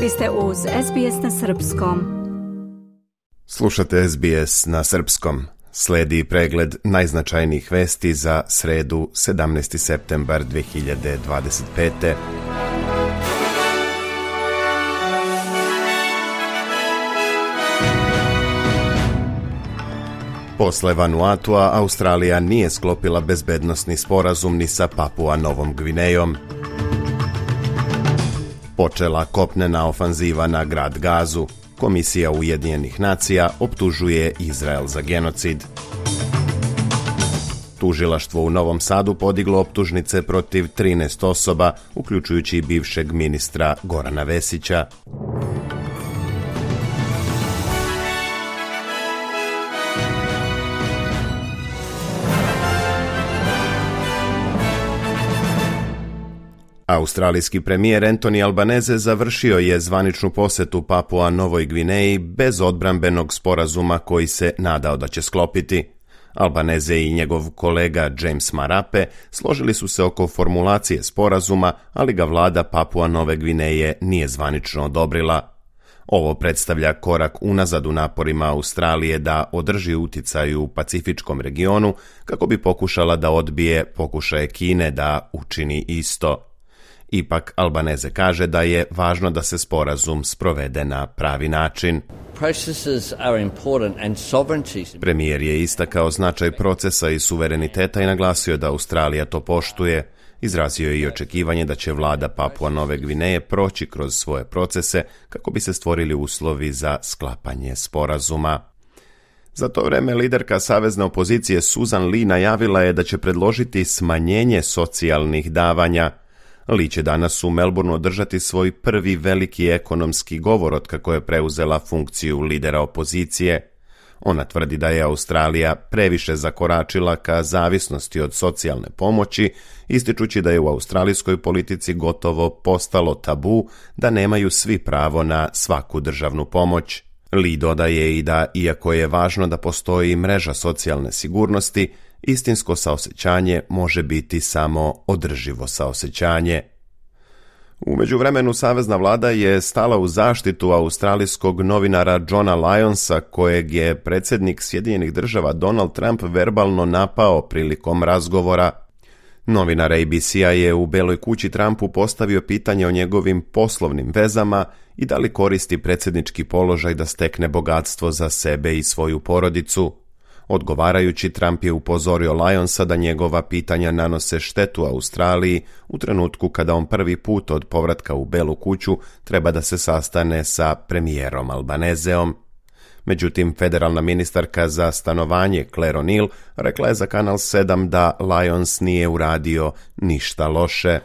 Vi ste uz SBS na Srpskom. Slušate SBS na Srpskom. Slijedi pregled najznačajnijih vesti za sredu 17. septembar 2025. Posle Vanuatua, Australija nije sklopila bezbednosni sporazum ni sa Papua Novom Gvinejom. Počela kopnena ofanziva na grad Gazu. Komisija Ujedinjenih nacija optužuje Izrael za genocid. Tužilaštvo u Novom Sadu podiglo optužnice protiv 13 osoba, uključujući i bivšeg ministra Gorana Vesića. Australijski premijer Anthony Albanese završio je zvaničnu posjetu Papua Novoj Gvineji bez odbrambenog sporazuma koji se nadao da će sklopiti. Albanese i njegov kolega James Marape složili su se oko formulacije sporazuma, ali ga vlada Papua Nove Gvineje nije zvanično odobrila. Ovo predstavlja korak unazad u naporima Australije da održi uticaj u Pacifičkom regionu kako bi pokušala da odbije pokušaje Kine da učini isto. Ipak Albanese kaže da je važno da se sporazum sprovede na pravi način. Premijer je istakao značaj procesa i suvereniteta i naglasio da Australija to poštuje. Izrazio je i očekivanje da će vlada Papua Nove Gvineje proći kroz svoje procese kako bi se stvorili uslovi za sklapanje sporazuma. Za to vreme liderka savezne opozicije Susan Lee najavila je da će predložiti smanjenje socijalnih davanja. Lee će danas u Melbourneu održati svoj prvi veliki ekonomski govor otkako je preuzela funkciju lidera opozicije. Ona tvrdi da je Australija previše zakoračila ka zavisnosti od socijalne pomoći, ističući da je u australijskoj politici gotovo postalo tabu da nemaju svi pravo na svaku državnu pomoć. Lee dodaje i da, iako je važno da postoji mreža socijalne sigurnosti, istinsko saosećanje može biti samo održivo saosećanje. U međuvremenu savezna vlada je stala u zaštitu australijskog novinara Johna Lyonsa, kojeg je predsjednik Sjedinjenih Država Donald Trump verbalno napao prilikom razgovora. Novinar ABC-a je u Beloj kući Trumpu postavio pitanje o njegovim poslovnim vezama i da li koristi predsjednički položaj da stekne bogatstvo za sebe i svoju porodicu. Odgovarajući, Trump je upozorio Lyonsa da njegova pitanja nanose štetu Australiji u trenutku kada on prvi put od povratka u Belu kuću treba da se sastane sa premijerom Albaneseom. Međutim, federalna ministarka za stanovanje Claire O'Neill rekla je za Kanal 7 da Lyons nije uradio ništa loše.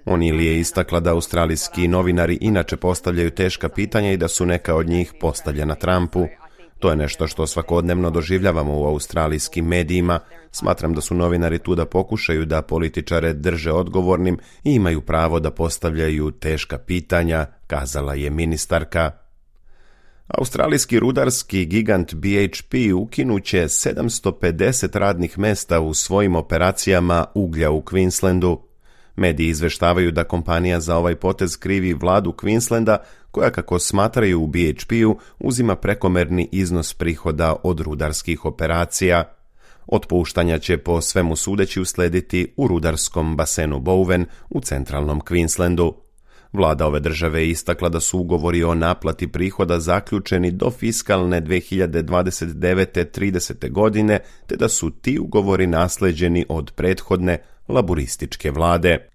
O'Neill je istakla da australijski novinari inače postavljaju teška pitanja i da su neka od njih postavljena Trumpu. To je nešto što svakodnevno doživljavamo u australijskim medijima. Smatram da su novinari tu da pokušaju da političare drže odgovornim i imaju pravo da postavljaju teška pitanja, kazala je ministarka. Australijski rudarski gigant BHP ukinuće 750 radnih mesta u svojim operacijama uglja u Queenslandu. Mediji izveštavaju da kompanija za ovaj potez krivi vladu Queenslanda, koja, kako smatraju u BHP-u, uzima prekomerni iznos prihoda od rudarskih operacija. Otpuštanja će po svemu sudeći uslediti u rudarskom basenu Bowen u centralnom Queenslandu. Vlada ove države je istakla da su ugovori o naplati prihoda zaključeni do fiskalne 2029-30. godine, te da su ti ugovori nasleđeni od prethodne laburističke vlade.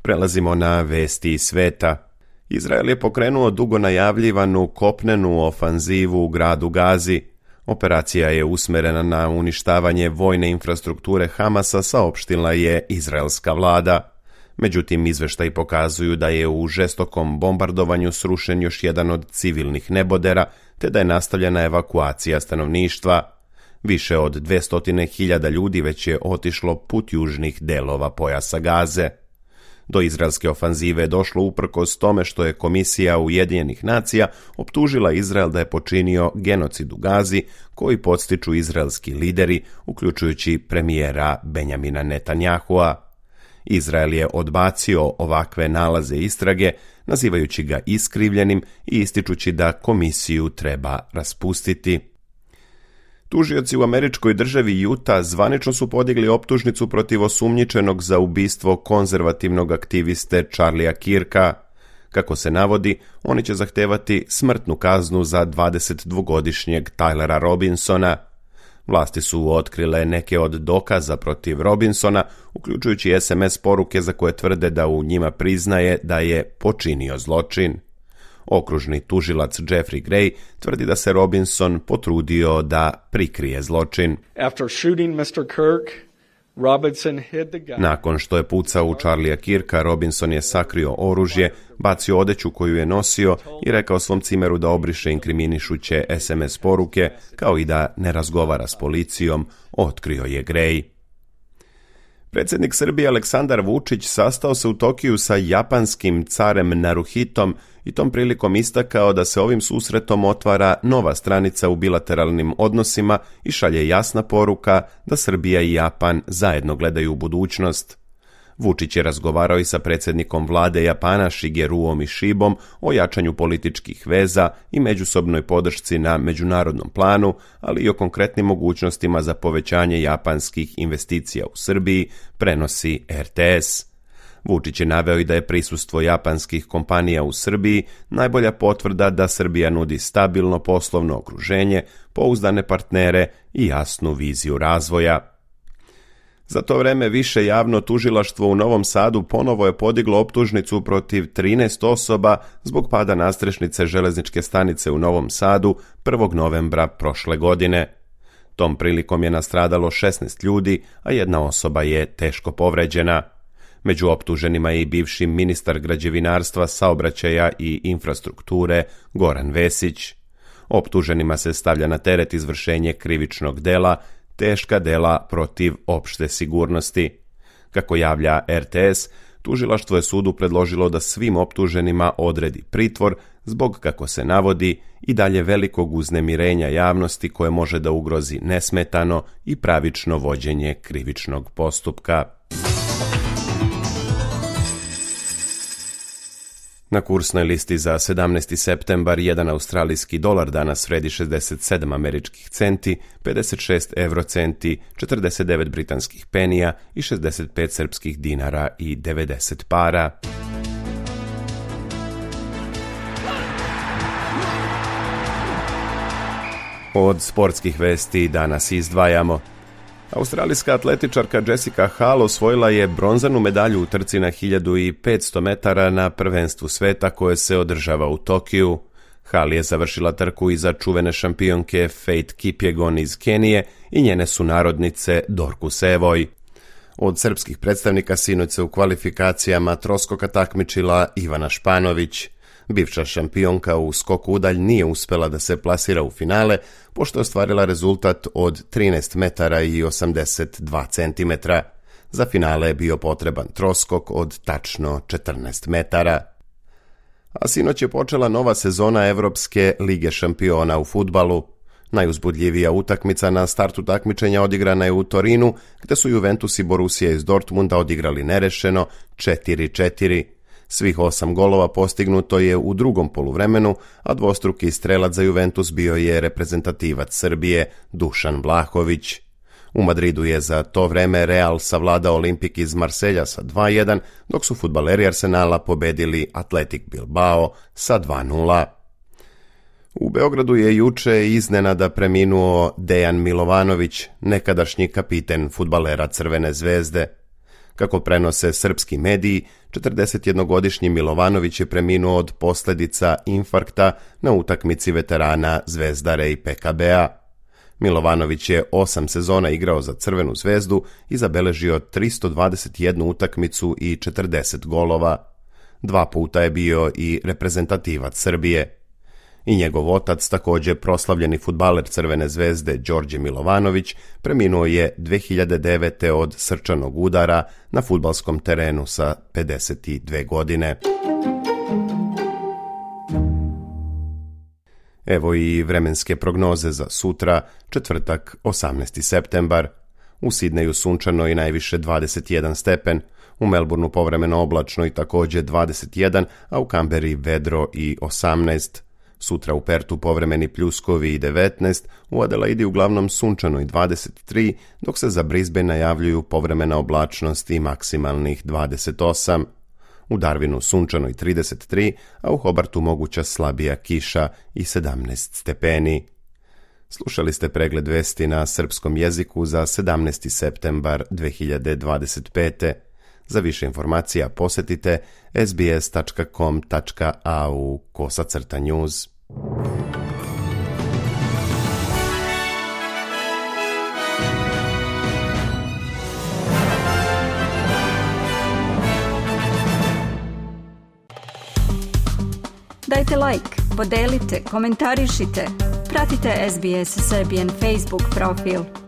Prelazimo na vesti iz sveta. Izrael je pokrenuo dugo najavljivanu kopnenu ofanzivu u gradu Gazi. Operacija je usmerena na uništavanje vojne infrastrukture Hamasa, saopštila je izraelska vlada. Međutim, izveštaji pokazuju da je u žestokom bombardovanju srušen još jedan od civilnih nebodera, te da je nastavljena evakuacija stanovništva. Više od 200.000 ljudi već je otišlo put južnih delova pojasa Gaze. Do izraelske ofanzive je došlo uprkos tome što je Komisija Ujedinjenih nacija optužila Izrael da je počinio genocid u Gazi, koji podstiču izraelski lideri, uključujući premijera Benjamina Netanyahua. Izrael je odbacio ovakve nalaze istrage, nazivajući ga iskrivljenim i ističući da komisiju treba raspustiti. Tužioci u američkoj državi Utah zvanično su podigli optužnicu protiv osumnjičenog za ubistvo konzervativnog aktiviste Charliea Kirka. Kako se navodi, oni će zahtevati smrtnu kaznu za 22-godišnjeg Tylera Robinsona. Vlasti su otkrile neke od dokaza protiv Robinsona, uključujući SMS poruke za koje tvrde da u njima priznaje da je počinio zločin. Okružni tužilac Jeffrey Gray tvrdi da se Robinson potrudio da prikrije zločin. Nakon što je pucao u Charliea Kirka, Robinson je sakrio oružje, bacio odeću koju je nosio i rekao svom cimeru da obriše inkriminišuće SMS poruke, kao i da ne razgovara s policijom, otkrio je Gray. Predsjednik Srbije Aleksandar Vučić sastao se u Tokiju sa japanskim carem Naruhitom i tom prilikom istakao da se ovim susretom otvara nova stranica u bilateralnim odnosima i šalje jasna poruka da Srbija i Japan zajedno gledaju u budućnost. Vučić je razgovarao i sa predsjednikom vlade Japana Shigeruom Ishibom o jačanju političkih veza i međusobnoj podršci na međunarodnom planu, ali i o konkretnim mogućnostima za povećanje japanskih investicija u Srbiji, prenosi RTS. Vučić je naveo i da je prisustvo japanskih kompanija u Srbiji najbolja potvrda da Srbija nudi stabilno poslovno okruženje, pouzdane partnere i jasnu viziju razvoja. Za to vreme više javno tužilaštvo u Novom Sadu ponovo je podiglo optužnicu protiv 13 osoba zbog pada nadstrešnice železničke stanice u Novom Sadu 1. novembra prošle godine. Tom prilikom je nastradalo 16 ljudi, a jedna osoba je teško povređena. Među optuženima je i bivši ministar građevinarstva, saobraćaja i infrastrukture Goran Vesić. Optuženima se stavlja na teret izvršenje krivičnog dela, teška dela protiv opšte sigurnosti. Kako javlja RTS, tužilaštvo je sudu predložilo da svim optuženima odredi pritvor zbog, kako se navodi, i dalje velikog uznemirenja javnosti koje može da ugrozi nesmetano i pravično vođenje krivičnog postupka. Na kursnoj listi za 17. septembar jedan australijski dolar danas vredi 67 američkih centi, 56 eurocenti, 49 britanskih penija i 65 srpskih dinara i 90 para. Od sportskih vesti danas izdvajamo. Australijska atletičarka Jessica Hall osvojila je bronzanu medalju u trci na 1500 metara na prvenstvu sveta koje se održava u Tokiju. Hall je završila trku iza čuvene šampionke Faith Kipyegon iz Kenije i njene sunarodnice Dorcus Evoj. Od srpskih predstavnika sinoć se u kvalifikacijama troskoka takmičila Ivana Španović. Bivša šampionka u skoku udalj nije uspela da se plasira u finale, pošto je ostvarila rezultat od 13 metara i 82 centimetra. Za finale je bio potreban troskok od tačno 14 metara. A sinoć je počela nova sezona Evropske lige šampiona u fudbalu. Najuzbudljivija utakmica na startu takmičenja odigrana je u Torinu, gde su Juventus i Borussia iz Dortmunda odigrali nerešeno 4-4. Svih 8 golova postignuto je u drugom poluvremenu, a dvostruki strelac za Juventus bio je reprezentativac Srbije Dušan Vlahović. U Madridu je za to vreme Real savladao Olimpik iz Marselja sa 2-1, dok su fudbaleri Arsenala pobedili Athletic Bilbao sa 2-0. U Beogradu je juče iznenada preminuo Dejan Milovanović, nekadašnji kapiten fudbalera Crvene zvezde. Kako prenose srpski mediji, 41-godišnji Milovanović je preminuo od posljedica infarkta na utakmici veterana Zvezdare i PKB-a. Milovanović je 8 sezona igrao za Crvenu zvezdu i zabeležio 321 utakmicu i 40 golova. 2 puta je bio i reprezentativac Srbije. I njegov otac, također proslavljeni fudbaler Crvene zvezde Đorđe Milovanović, preminuo je 2009. od srčanog udara na fudbalskom terenu sa 52 godine. Evo i vremenske prognoze za sutra, četvrtak, 18. septembar. U Sidneju sunčano i najviše 21 stepen, U Melbourneu povremeno oblačno i također 21, a u Kamberi vedro i 18. Sutra u Pertu povremeni pljuskovi i 19, u Adelaidi uglavnom sunčano i 23, dok se za Brisbane najavljuju povremena oblačnost i maksimalnih 28. U Darwinu sunčano i 33, a u Hobartu moguća slabija kiša i 17 stepeni. Slušali ste pregled vesti na srpskom jeziku za 17. septembar 2025. Za više informacija posjetite sbs.com.au/news. Dajte like, podelite, komentarišite. Pratite SBS Serbian Facebook profil.